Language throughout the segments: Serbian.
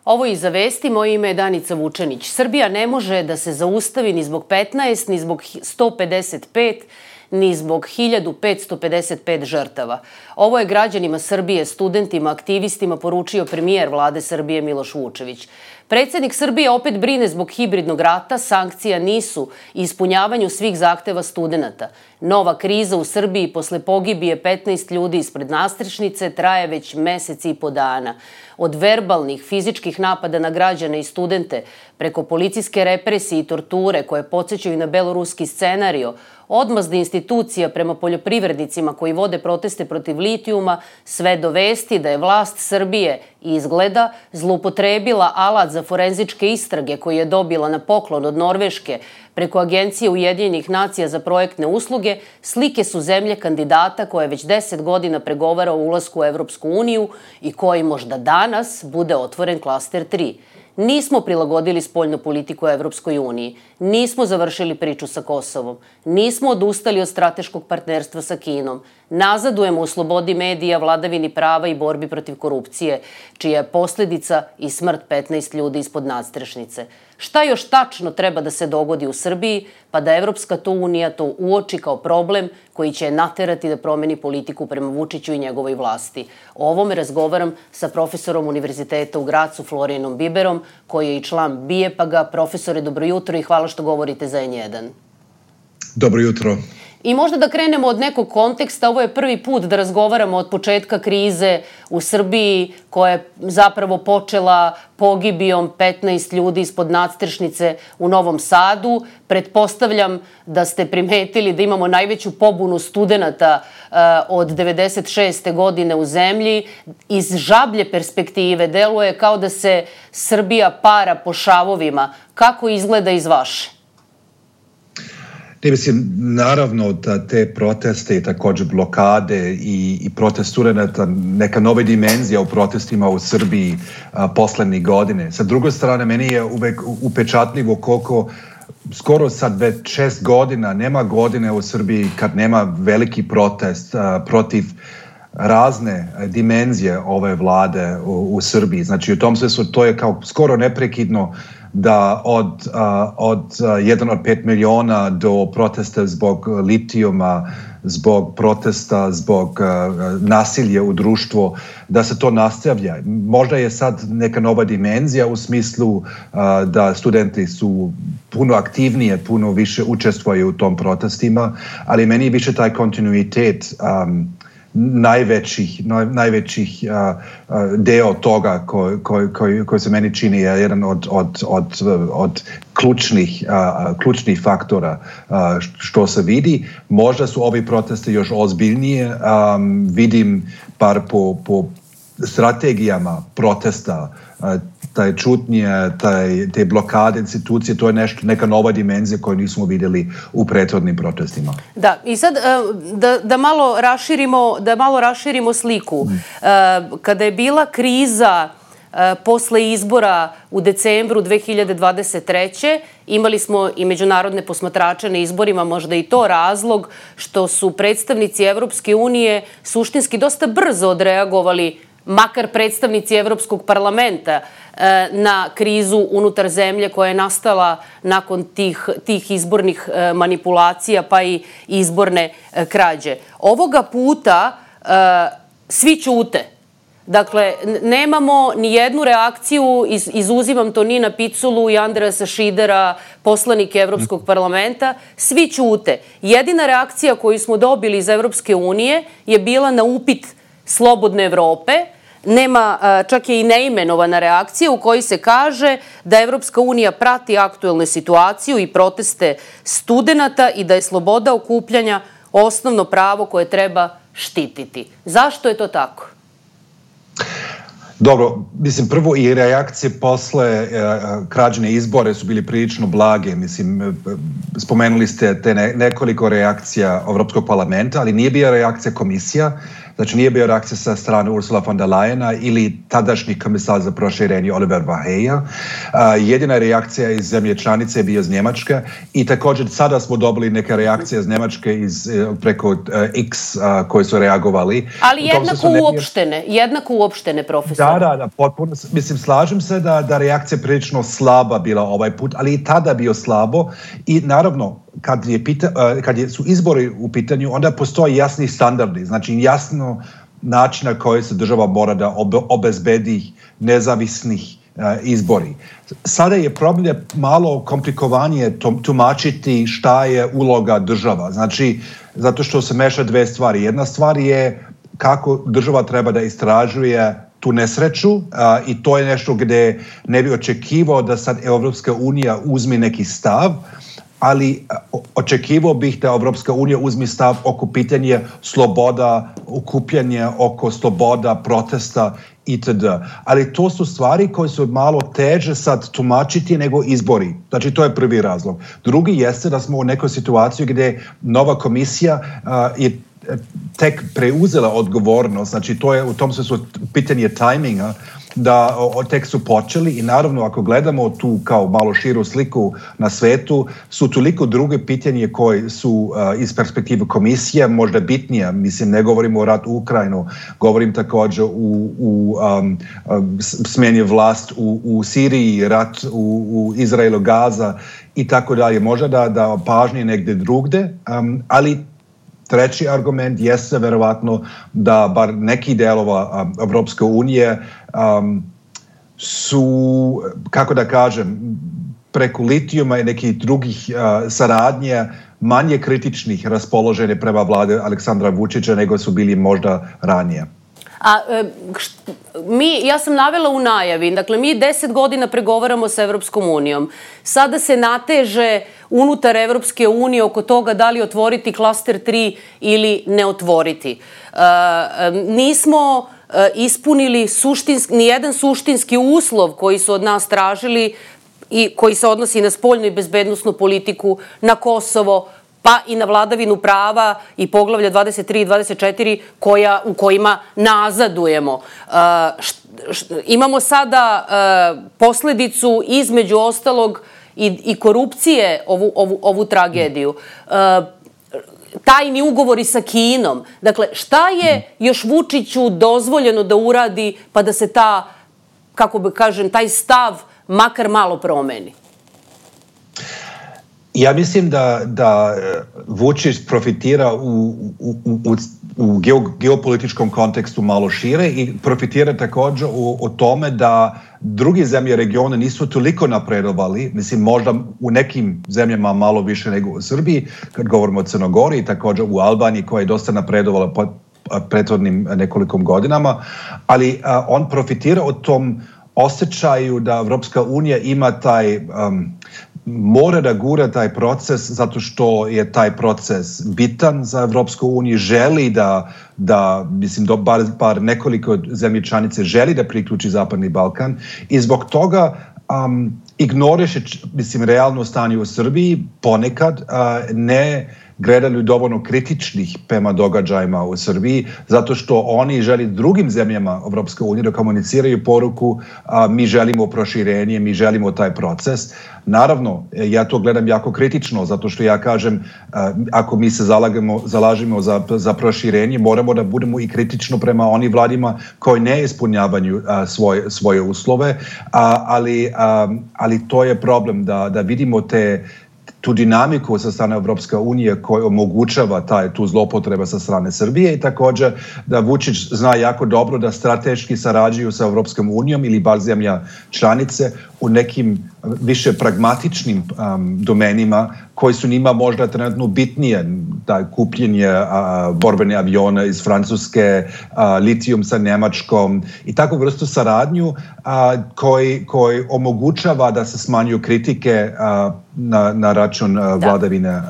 Ovo Iza vesti, moje ime je Danica Vučenić. Srbija ne može da se zaustavi ni zbog 15, ni zbog 155, ni zbog 1555 žrtava. Ovo je građanima Srbije, studentima, aktivistima poručio premijer vlade Srbije Miloš Vučević. Predsednik Srbije opet brine zbog hibridnog rata, sankcija nisu ispunjavanju svih zahteva studenata. Nova kriza u Srbiji posle pogibije 15 ljudi ispred nastrešnice traje već mesec i po dana. Od verbalnih, fizičkih napada na građane i studente, preko policijske represije i torture koje podsjećaju na beloruski scenario, odmazde institucija prema poljoprivrednicima koji vode proteste protiv litijuma, sve do vesti da je vlast Srbije izgleda zloupotrebila alat za forenzičke istrage koji je dobila na poklon od Norveške preko Agencije Ujedinjenih nacija za projektne usluge, slike su zemlje kandidata koja već 10 godina pregovara o ulasku u Evropsku uniju i koji možda danas bude otvoren klaster 3. Nismo prilagodili spoljnu politiku Evropskoj uniji, nismo završili priču sa Kosovom, nismo odustali od strateškog partnerstva sa Kinom, nazadujemo u slobodi medija, vladavini prava i borbi protiv korupcije, čija je posledica i smrt 15 ljudi ispod nadstrešnice. Šta još tačno treba da se dogodi u Srbiji, pa da Evropska unija to uoči kao problem koji će naterati da promeni politiku prema Vučiću i njegovoj vlasti? O ovome razgovaram sa profesorom Univerziteta u Gracu, Florijanom Biberom, koji je i član BIEPAG-a. Profesore, dobro jutro i hvala što govorite za N1. Dobro jutro. I možda da krenemo od nekog konteksta. Ovo je prvi put da razgovaramo od početka krize u Srbiji, koja je zapravo počela pogibijom 15 ljudi ispod nadstrešnice u Novom Sadu. Pretpostavljam da ste primetili da imamo najveću pobunu studenata od 96. godine u zemlji. Iz žablje perspektive deluje kao da se Srbija para po šavovima. Kako izgleda iz vaše? Ne mislim, naravno da te proteste i također blokade i protest studenata, neka nova dimenzija u protestima u Srbiji poslednjih godine. Sa druge strane, meni je uvek upečatljivo koliko skoro sad već 6 godina nema godine u Srbiji kad nema veliki protest protiv razne dimenzije ove vlade u Srbiji. Znači u tom smislu to je kao skoro neprekidno da od 5 miliona do protesta zbog litijuma, zbog protesta, zbog nasilja u društvu, da se to nastavlja. Možda je sad neka nova dimenzija u smislu da studenti su puno aktivnije, puno više učestvuju u tom protestima, ali meni je više taj kontinuitet najvećih deo toga koji se meni čini je jedan od ključnih faktora što se vidi. Možda su ovi protesti još ozbiljnije. Vidim bar po strategijama protesta, taj čutnje, te blokade institucije, to je neka nova dimenzija koju nismo vidjeli u prethodnim protestima. Da, i sad da malo raširimo sliku. Kada je bila kriza posle izbora u decembru 2023. imali smo i međunarodne posmatrače na izborima, možda i to razlog što su predstavnici Evropske unije suštinski dosta brzo odreagovali, makar predstavnici Evropskog parlamenta, na krizu unutar zemlje koja je nastala nakon tih izbornih manipulacija pa i izborne krađe. Ovoga puta svi ćute. Dakle, nemamo ni jednu reakciju, izuzimam Tonina Piculu i Andreasa Šidera, poslanike Evropskog parlamenta, svi ćute. Jedina reakcija koju smo dobili iz Evropske unije je bila na upit Slobodne Evrope. Nema, čak je i neimenovana reakcija u kojoj se kaže da Evropska unija prati aktuelnu situaciju i proteste studenata i da je sloboda okupljanja osnovno pravo koje treba štititi. Zašto je to tako? Dobro, mislim, prvo i reakcije posle krađene izbore su bili prilično blage. Mislim, spomenuli ste te nekoliko reakcija Evropskog parlamenta, ali nije bila reakcija komisija. Znači nije bio reakcija sa strane Ursula von der Leyena ili tadašnji komisar za proširenje Oliver Verheugen. Jedina reakcija iz zemlje članice je bio iz Njemačke i također sada smo dobili neke reakcije iz Njemačke preko X koji su reagovali. Ali jednako uopštene, profesor. Da, potpuno. Mislim, slažem se da reakcija prilično slaba bila ovaj put, ali i tada bio slabo i naravno kad su izbori u pitanju, onda postoje jasni standardi, znači jasno način na koji se država mora da obezbedi nezavisnih izbori. Sada je problem malo komplikovanije tumačiti šta je uloga država. Znači, zato što se meša dve stvari. Jedna stvar je kako država treba da istražuje tu nesreću i to je nešto gdje ne bi očekivao da sad Evropska unija uzme neki stav, ali očekivao bih da Evropska unija uzme stav oko pitanja sloboda okupljanja, oko sloboda protesta itd. Ali to su stvari koje su malo teže sad tumačiti nego izbori. Znači to je prvi razlog. Drugi jeste da smo u nekoj situaciji gdje nova komisija je tek preuzela odgovornost, znači to je u tom smislu pitanje tajminga, da tek su počeli i naravno ako gledamo tu kao malo širu sliku na svetu, su toliko druge pitanje koje su iz perspektive komisije možda bitnije. Mislim, ne govorimo o ratu u Ukrajinu, govorim također u smjeni vlast u Siriji, rat u Izraelu, Gaza i tako dalje. Možda da pažnje negdje drugde, ali treći argument jeste verovatno da bar neki delova Evropske unije su, kako da kažem, preko litijuma i nekih drugih saradnje manje kritičnih raspoložene prema vlade Aleksandra Vučića nego su bili možda ranije. Ja sam navela u najavi, dakle mi 10 godina pregovaramo sa Evropskom unijom. Sada se nateže unutar Evropske unije oko toga da li otvoriti klaster 3 ili ne otvoriti. Nismo ispunili ni jedan suštinski uslov koji su od nas tražili i koji se odnosi na spoljnu i bezbednosnu politiku, na Kosovo, pa i na vladavinu prava i poglavlja 23 i 24 u kojima nazadujemo. Imamo sada posledicu između ostalog i korupcije ovu tragediju. Tajni ugovori sa Kinom. Dakle, šta je još Vučiću dozvoljeno da uradi pa da se taj stav makar malo promeni? Ja mislim da Vučić profitira u geopolitičkom kontekstu malo šire i profitira također o tome da druge zemlje regiona nisu toliko napredovali, mislim možda u nekim zemljama malo više nego u Srbiji, kad govorimo o Crnogori i također u Albaniji koja je dosta napredovala prethodnim nekoliko godinama, ali on profitira od tom osjećaju da Evropska unija ima taj mora da gura taj proces zato što je taj proces bitan za Evropsku uniju, želi da mislim, bar nekoliko zemlje članice želi da priključi Zapadni Balkan i zbog toga ignoriše, mislim, realno stanje u Srbiji, ponekad ne gledaju dovoljno kritičnih prema događajima u Srbiji, zato što oni želi drugim zemljama Evropske unije da komuniciraju poruku mi želimo proširenje, mi želimo taj proces. Naravno, ja to gledam jako kritično, zato što ja kažem, ako mi se zalažemo za proširenje, moramo da budemo i kritično prema onim vladima koji ne ispunjavaju svoje uslove, ali to je problem da vidimo tu dinamiku sa strane Evropske unije koja omogućava tu zlopotreba sa strane Srbije i također da Vučić zna jako dobro da strateški sarađuju sa Evropskom unijom ili bar zemlja članice u nekim više pragmatičnim domenima koji su njima možda trenutno bitnije, da kupljenje borbene aviona iz Francuske, litijum sa Njemačkom i takvu vrstu saradnju koji omogućava da se smanjuju kritike na račun vladavine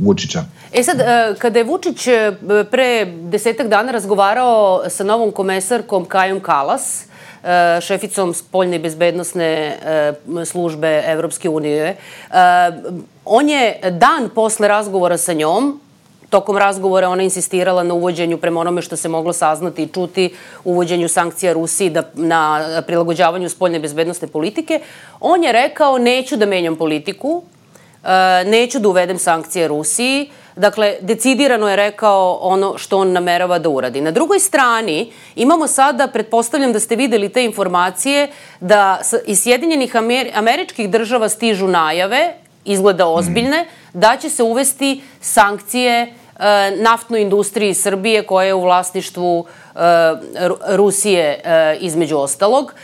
Vučića. Sad, kada je Vučić pre 10 dana razgovarao sa novom komesarkom Kajom Kalas, šeficom spoljne i bezbednosne službe Evropske unije, on je dan posle razgovora sa njom tokom razgovora ona insistirala na uvođenju, prema onome što se moglo saznati i čuti, uvođenju sankcija Rusiji na prilagođavanju spoljne bezbednosne politike. On je rekao, neću da menjam politiku, neću da uvedem sankcije Rusiji. Dakle, decidirano je rekao ono što on namerava da uradi. Na drugoj strani imamo sada, pretpostavljam da ste videli te informacije, da iz Sjedinjenih Američkih Država stižu najave, izgleda ozbiljne, da će se uvesti sankcije naftnoj industriji Srbije koja je u vlasništvu Rusije između ostalog.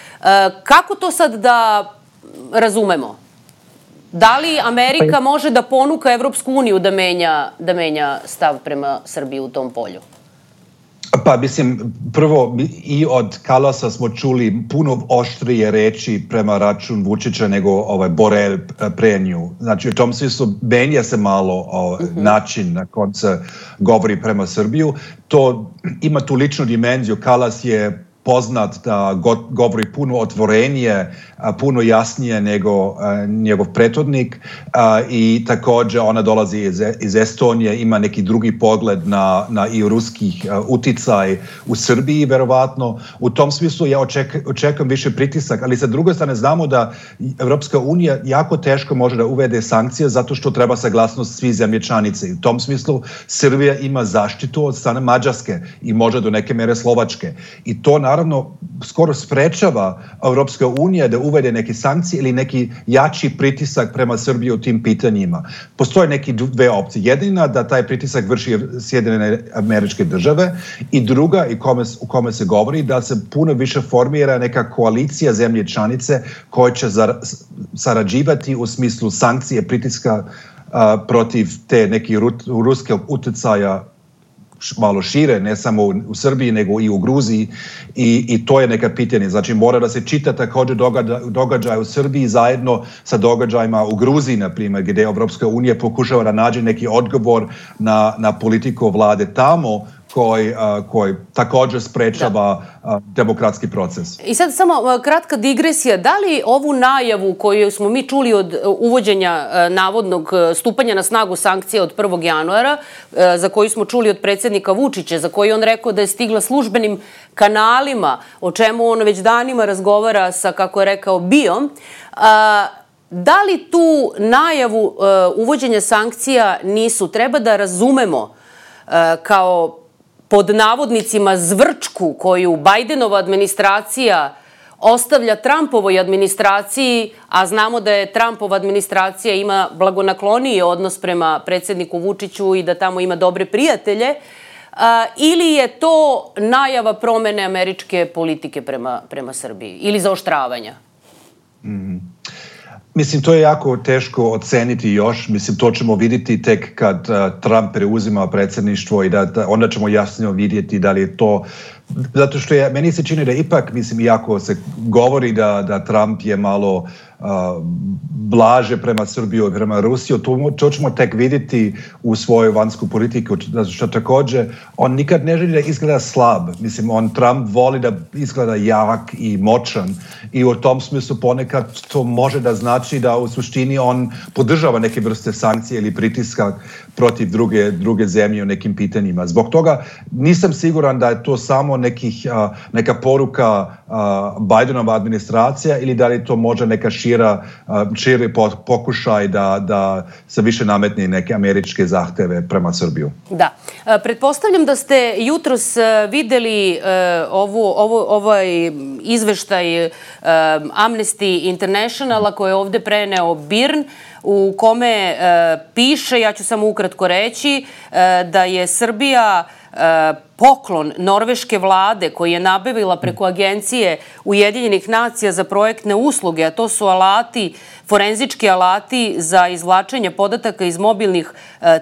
Kako to sad da razumemo? Da li Amerika može da ponuka Evropsku uniju da menja stav prema Srbiji u tom polju? Pa mislim, prvo i od Kalasa smo čuli puno oštrije reči prema račun Vučića nego Borel pre nju. Znači, u tom smislu menja se malo način na kom se govori prema Srbiju. To ima tu ličnu dimenziju. Kalas je poznat da govori puno otvorenije, puno jasnije nego njegov prethodnik i također ona dolazi iz Estonije, ima neki drugi pogled na i ruskih uticaj u Srbiji, verovatno. U tom smislu ja očekujem više pritisak, ali sa druge strane znamo da Evropska unija jako teško može da uvede sankcije zato što treba saglasnost svih zemlje članice. U tom smislu Srbija ima zaštitu od strane Mađarske i možda do neke mere Slovačke. I to naravno skoro sprečava Evropska unija da uvede neke sankcije ili neki jači pritisak prema Srbiji u tim pitanjima. Postoje neke dve opcije. Jedina da taj pritisak vrši Sjedinjene Američke Države i druga u kome se govori da se puno više formira neka koalicija zemlje članice koja će sarađivati u smislu sankcije pritiska protiv te neke ruske utjecaja malo šire, ne samo u Srbiji, nego i u Gruziji i to je neka pitanje. Znači, mora da se čita također događaj u Srbiji zajedno sa događajima u Gruziji, na primjer, gdje Evropska unija pokušava da nađe neki odgovor na politiku vlade tamo koji također sprečava demokratski proces. I sad samo kratka digresija. Da li ovu najavu koju smo mi čuli od uvođenja navodnog stupanja na snagu sankcija od 1. januara, za koju smo čuli od predsjednika Vučića, za koju on rekao da je stigla službenim kanalima, o čemu on već danima razgovara sa, kako je rekao, BIA-om, da li tu najavu uvođenja sankcija nisu? Treba da razumemo kao pod navodnicima zvrčku koju Bajdenova administracija ostavlja Trumpovoj administraciji, a znamo da je Trumpova administracija ima blagonakloniji odnos prema predsjedniku Vučiću i da tamo ima dobre prijatelje, ili je to najava promene američke politike prema Srbiji ili zaoštravanja? Mislim, to je jako teško oceniti još. Mislim, to ćemo vidjeti tek kad Trump preuzima predsjedništvo i onda ćemo jasno vidjeti da li je to. Zato što meni se čini da ipak, mislim, iako se govori da Trump je malo blaže prema Srbiju i prema Rusiju, to ćemo tek vidjeti u svojoj vanjsku politiku, zato što također on nikad ne želi da izgleda slab. Mislim, Trump voli da izgleda jak i moćan i u tom smislu ponekad to može da znači da u suštini on podržava neke vrste sankcije ili pritiska protiv druge zemlje u nekim pitanjima. Zbog toga nisam siguran da je to samo neka poruka Bidenova administracija ili da li to može neka širi pokušaj da se više nametne neke američke zahteve prema Srbiju. Da. Pretpostavljam da ste jutros videli ovaj izveštaj Amnesty Internationala koji je ovde preneo BIRN, u kome piše, ja ću samo ukratko reći, da je Srbija poklon norveške vlade koji je nabavila preko agencije Ujedinjenih nacija za projektne usluge, a to su alati, forenzički alati za izvlačenje podataka iz mobilnih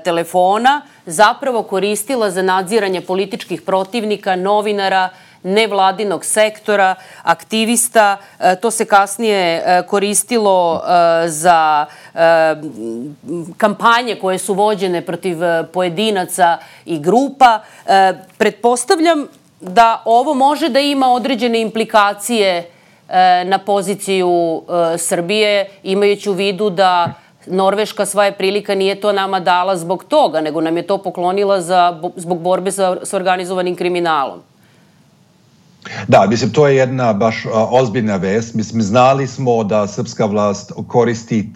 telefona, zapravo koristila za nadziranje političkih protivnika, novinara, nevladinog sektora, aktivista. To se kasnije koristilo za kampanje koje su vođene protiv pojedinaca i grupa. Pretpostavljam da ovo može da ima određene implikacije na poziciju Srbije, imajući u vidu da Norveška svoje prilika nije to nama dala zbog toga, nego nam je to poklonila zbog borbe sa organizovanim kriminalom. Da, mislim, to je jedna baš ozbiljna vest. Mislim, znali smo da srpska vlast koristi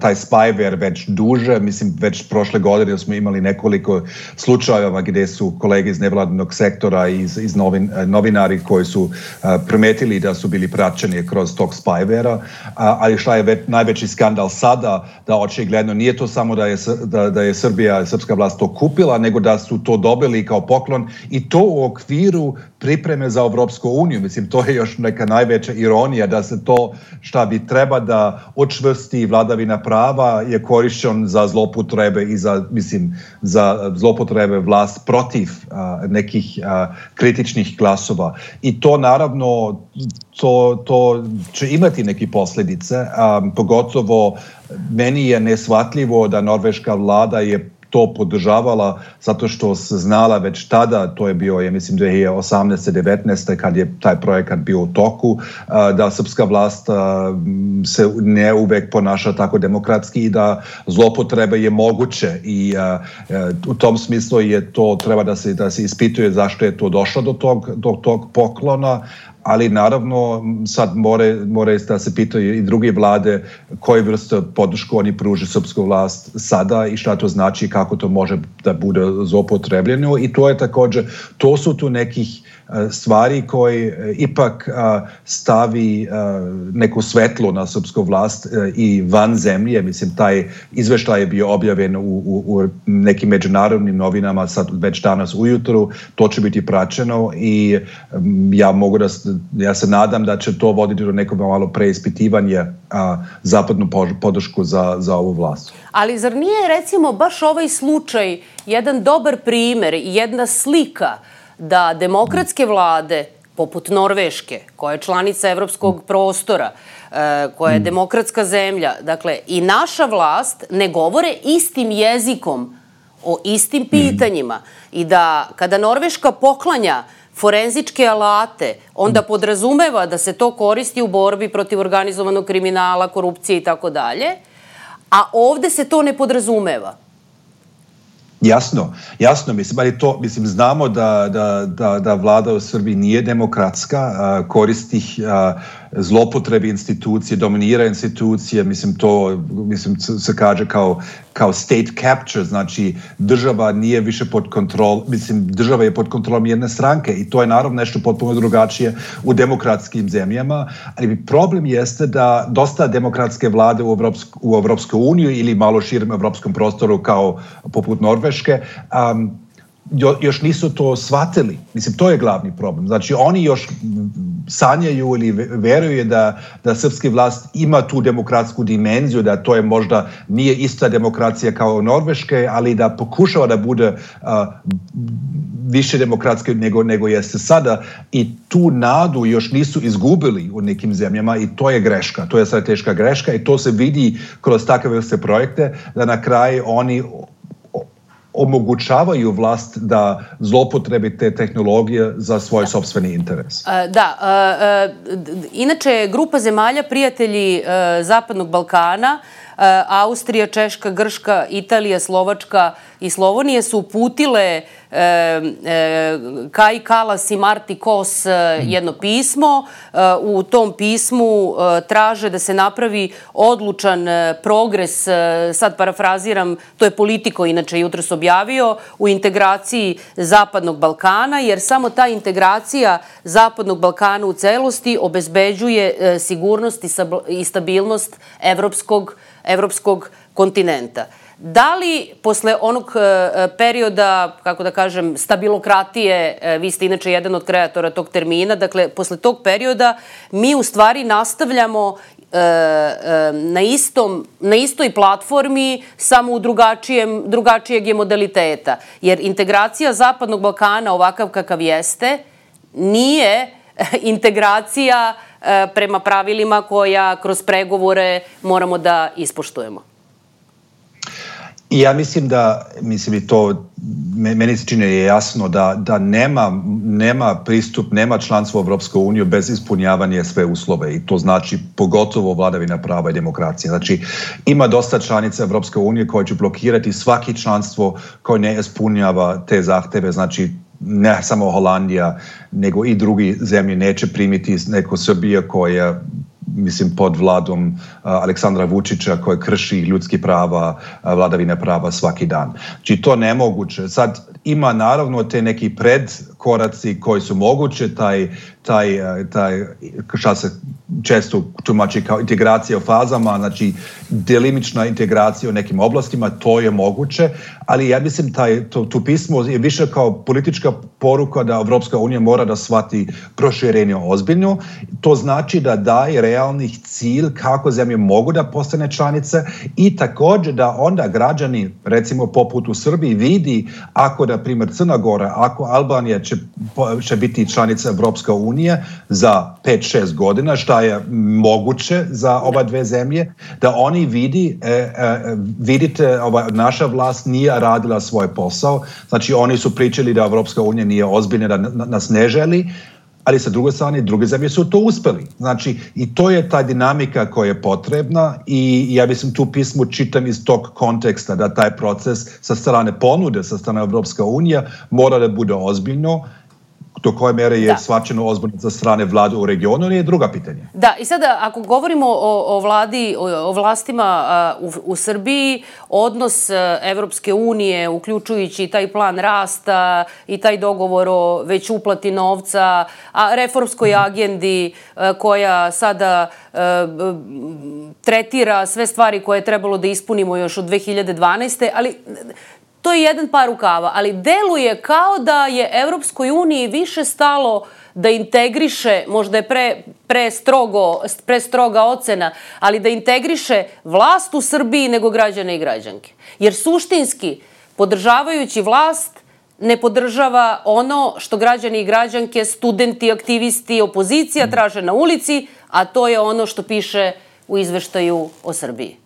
taj spyware već duže. Mislim, već prošle godine smo imali nekoliko slučajeva gdje su kolege iz nevladinog sektora i iz novinari koji su primetili da su bili praćeni kroz tog spywarea. Ali šta je najveći skandal sada, da očigledno nije to samo da je srpska vlast to kupila, nego da su to dobili kao poklon i to u okviru pripreme za Evropsku uniju. Mislim, to je još neka najveća ironija da se to šta bi treba da učvrsti vladavina prava je korišćen za zloupotrebe i za zloupotrebe vlast protiv nekih kritičnih glasova. I to naravno to će imati neke posljedice. Pogotovo meni je neshvatljivo da norveška vlada je to podržavala zato što se znala već tada, to je bio, ja mislim, 2018-19. kad je taj projekat bio u toku, da srpska vlast se ne uvek ponaša tako demokratski i da zloupotrebe je moguće i u tom smislu je to, treba da se ispituje zašto je to došlo do tog poklona, ali naravno sad more da se pitaju i druge vlade koje vrste podršku oni pruže srpsku vlast sada i šta to znači, kako to može da bude zloupotrebljeno. I to je također, to su tu nekih stvari koje ipak stavi neku svetlo na srpsku vlast i van zemlje. Mislim, taj izveštaj je bio objavljen u nekim međunarodnim novinama sad već danas ujutru. To će biti praćeno i ja se nadam da će to voditi do nekog malo preispitivanja zapadnu podršku za ovu vlast. Ali zar nije, recimo, baš ovaj slučaj jedan dobar primer i jedna slika da demokratske vlade, poput Norveške, koja je članica evropskog prostora, koja je demokratska zemlja, dakle, i naša vlast ne govore istim jezikom o istim pitanjima i da kada Norveška poklanja forenzičke alate, onda podrazumeva da se to koristi u borbi protiv organizovanog kriminala, korupcije i tako dalje, a ovde se to ne podrazumeva. Jasno, mislim, ali to, mislim, znamo da vlada u Srbiji nije demokratska, koristi zlopotrebe institucije, dominira institucije, mislim, se kaže kao state capture, znači država nije više pod kontrolom, mislim, država je pod kontrolom jedne stranke i to je naravno nešto potpuno drugačije u demokratskim zemljama, ali problem jeste da dosta demokratske vlade u Evropskoj uniji ili malo širem evropskom prostoru kao poput Norveške, još nisu to shvatili. Mislim, to je glavni problem. Znači, oni još sanjaju ili veruju da srpski vlast ima tu demokratsku dimenziju, da to je možda nije ista demokracija kao Norveške, ali da pokušava da bude više demokratske nego jeste sada i tu nadu još nisu izgubili u nekim zemljama i to je greška. To je strateška greška i to se vidi kroz takve vrste projekte da na kraju oni omogućavaju vlast da zloupotrebi te tehnologije za svoj sopstveni interes. Da. Inače, grupa zemalja prijatelji Zapadnog Balkana, Austrija, Češka, Grška, Italija, Slovačka i Slovenija su uputile Kaji Kalas i Marti Kos jedno pismo. U tom pismu traže da se napravi odlučan progres, sad parafraziram, to je Politico inače jutros objavio, u integraciji Zapadnog Balkana, jer samo ta integracija Zapadnog Balkana u celosti obezbeđuje sigurnost i stabilnost evropskog kontinenta. Da li posle onog perioda, kako da kažem, stabilokratije, vi ste inače jedan od kreatora tog termina, dakle, posle tog perioda mi u stvari nastavljamo na istoj platformi, samo u drugačijeg je modaliteta. Jer integracija Zapadnog Balkana, ovakav kakav jeste, nije integracija prema pravilima koja kroz pregovore moramo da ispoštujemo. I ja mislim i to meni se čini je jasno da nema pristup, nema članstvo u Evropskoj uniji bez ispunjavanja sve uslove i to znači pogotovo vladavina prava i demokracija. Znači ima dosta članica Evropske unije koje će blokirati svaki članstvo koje ne ispunjava te zahteve, znači ne samo Holandija, nego i drugi zemlje neće primiti neko Srbija koja mislim pod vladom Aleksandra Vučića koji krši ljudski prava, vladavine prava svaki dan. Znači to nemoguće. Sad ima naravno te neki predkoraci koji su moguće, taj šta se često tumači kao integracija u fazama, znači delimična integracija u nekim oblastima, to je moguće, ali ja mislim to pismo je više kao politička poruka da Evropska unija mora da shvati proširenje ozbiljno. To znači da daje realnih cilj kako zemlje mogu da postane članice i također da onda građani, recimo poput u Srbiji, vidi ako, na primjer, Crna Gora, ako Albanija će biti članica Evropske unije za 5-6 godina, šta je moguće za oba dve zemlje, da oni vidite, naša vlast nije radila svoj posao, znači oni su pričali da Evropska unija nije ozbiljna, da nas ne želi, ali sa druge strane, druge zemlje su to uspeli. Znači, i to je ta dinamika koja je potrebna i ja mislim tu pismo čitam iz tog konteksta da taj proces sa strane ponude, sa strane Evropska unija mora da bude ozbiljno. Do koje mere je shvaćeno ozbiljno za strane vlade u regionu, ili je druga pitanja? Da, i sada ako govorimo o vladi, o vlastima u Srbiji, odnos Evropske unije, uključujući i taj plan rasta i taj dogovor o već uplati novca, a reformskoj agendi koja sada tretira sve stvari koje je trebalo da ispunimo još od 2012. Ali to je jedan par rukava, ali deluje kao da je Evropskoj uniji više stalo da integriše, možda je prestroga ocena, ali da integriše vlast u Srbiji nego građane i građanke. Jer suštinski, podržavajući vlast, ne podržava ono što građani i građanke, studenti, aktivisti, opozicija traže na ulici, a to je ono što piše u izveštaju o Srbiji.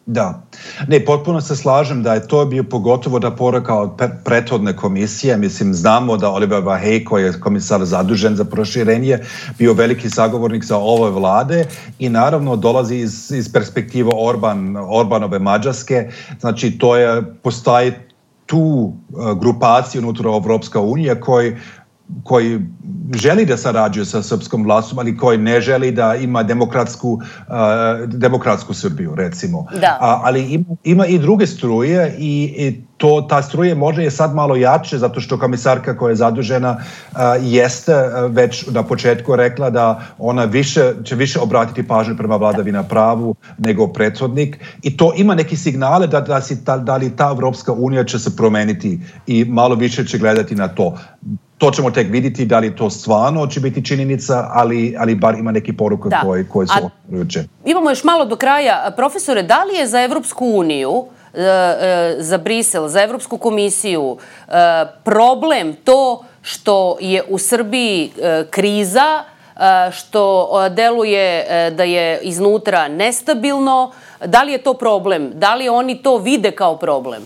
Da. Ne, potpuno se slažem da je to bio pogotovo da poruka od prethodne komisije. Mislim, znamo da Oliver Vahey, koji je komisar zadužen za proširenje, bio veliki sagovornik za ove vlade i naravno dolazi iz perspektive Orbanove Mađarske. Znači, postoji tu grupaciju unutar Evropska unija koji želi da sarađuje sa srpskom vlastom, ali koji ne želi da ima demokratsku Srbiju, recimo. Ali ima i druge struje i ta struje možda je sad malo jače, zato što komisarka koja je zadužena jeste već na početku rekla da ona će više obratiti pažnju prema vladavina pravu nego prethodnik. I to ima neki signale da li ta Evropska unija će se promeniti i malo više će gledati na to. To ćemo tek vidjeti da li to stvarno će biti činjenica, ali bar ima neki poruka koje su ohrabrujuće. Imamo još malo do kraja. Profesore, da li je za Evropsku uniju, za Brisel, za Evropsku komisiju problem to što je u Srbiji kriza, što deluje da je iznutra nestabilno? Da li je to problem? Da li oni to vide kao problem?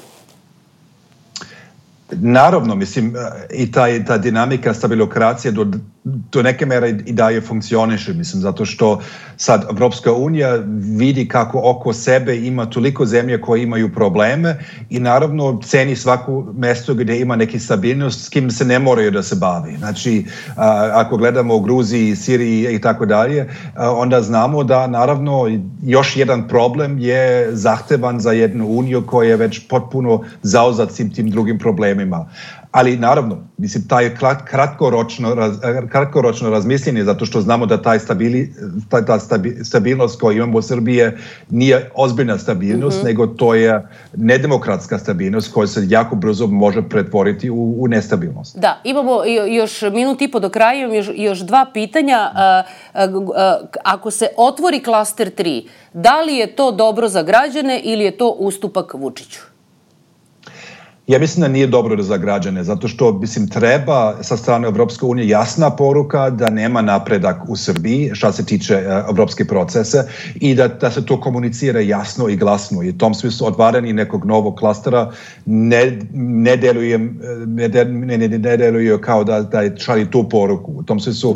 Naravno, mislim, i ta dinamika stabilizacije do neke mere i dalje funkcioniše, mislim, zato što sad Evropska unija vidi kako oko sebe ima toliko zemlje koje imaju probleme i naravno ceni svako mesto gdje ima neki stabilnost s kim se ne moraju da se bavi. Znači, ako gledamo u Gruziji, Siriji i tako dalje, onda znamo da naravno još jedan problem je zahtevan za jednu uniju koja je već potpuno zauzat svim tim drugim problemima. Ali naravno, mislim, taj kratkoročno razmišljenje, zato što znamo da ta stabilnost koju imamo u Srbiji nije ozbiljna stabilnost, nego to je nedemokratska stabilnost koja se jako brzo može pretvoriti u nestabilnost. Da, imamo još minut i po do kraja, još dva pitanja. Ako se otvori klaster 3, da li je to dobro za građane ili je to ustupak Vučiću? Ja mislim da nije dobro za građane, zato što mislim treba sa strane Evropske unije jasna poruka da nema napredak u Srbiji što se tiče evropske procese i da se to komunicira jasno i glasno. I u tom smislu otvaranje nekog novog klastera ne deluju kao da šalje tu poruku. U tom smislu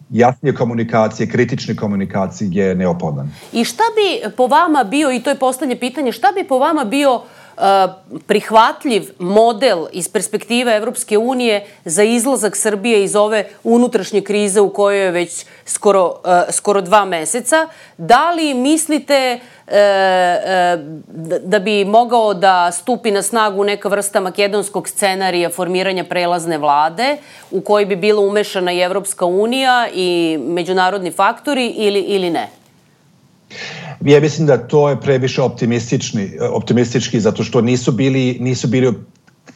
jasnije komunikacije, kritične komunikacije je neophodan. I šta bi po vama bio, i to je poslednje pitanje, šta bi po vama bio prihvatljiv model iz perspektive Evropske unije za izlazak Srbije iz ove unutrašnje krize u kojoj je već skoro 2 meseca? Da li mislite da bi mogao da stupi na snagu neka vrsta makedonskog scenarija formiranja prelazne vlade u kojoj bi bila umešana i Evropska unija i međunarodni faktori ili ne? Ja mislim da to je previše optimistički zato što nisu bili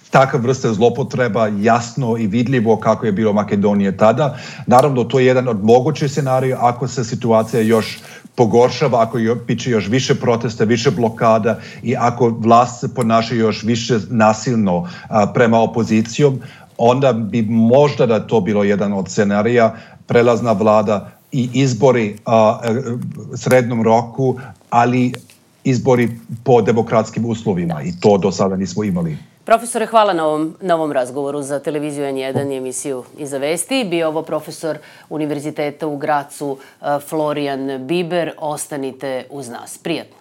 takav vrste zlopotreba jasno i vidljivo kako je bilo Makedonije tada. Naravno, to je jedan od mogućih scenarija ako se situacija još pogoršava, ako biće još više protesta, više blokada i ako vlast se ponaša još više nasilno prema opozicijom, onda bi možda da to bilo jedan od scenarija, prelazna vlada i izbori srednjem roku, ali izbori po demokratskim uslovima i to do sada nismo imali. Profesore, hvala na ovom razgovoru za televiziju N1 i emisiju Iza vesti. Bio ovo profesor Univerziteta u Gracu Florijan Biber. Ostanite uz nas. Prijatno.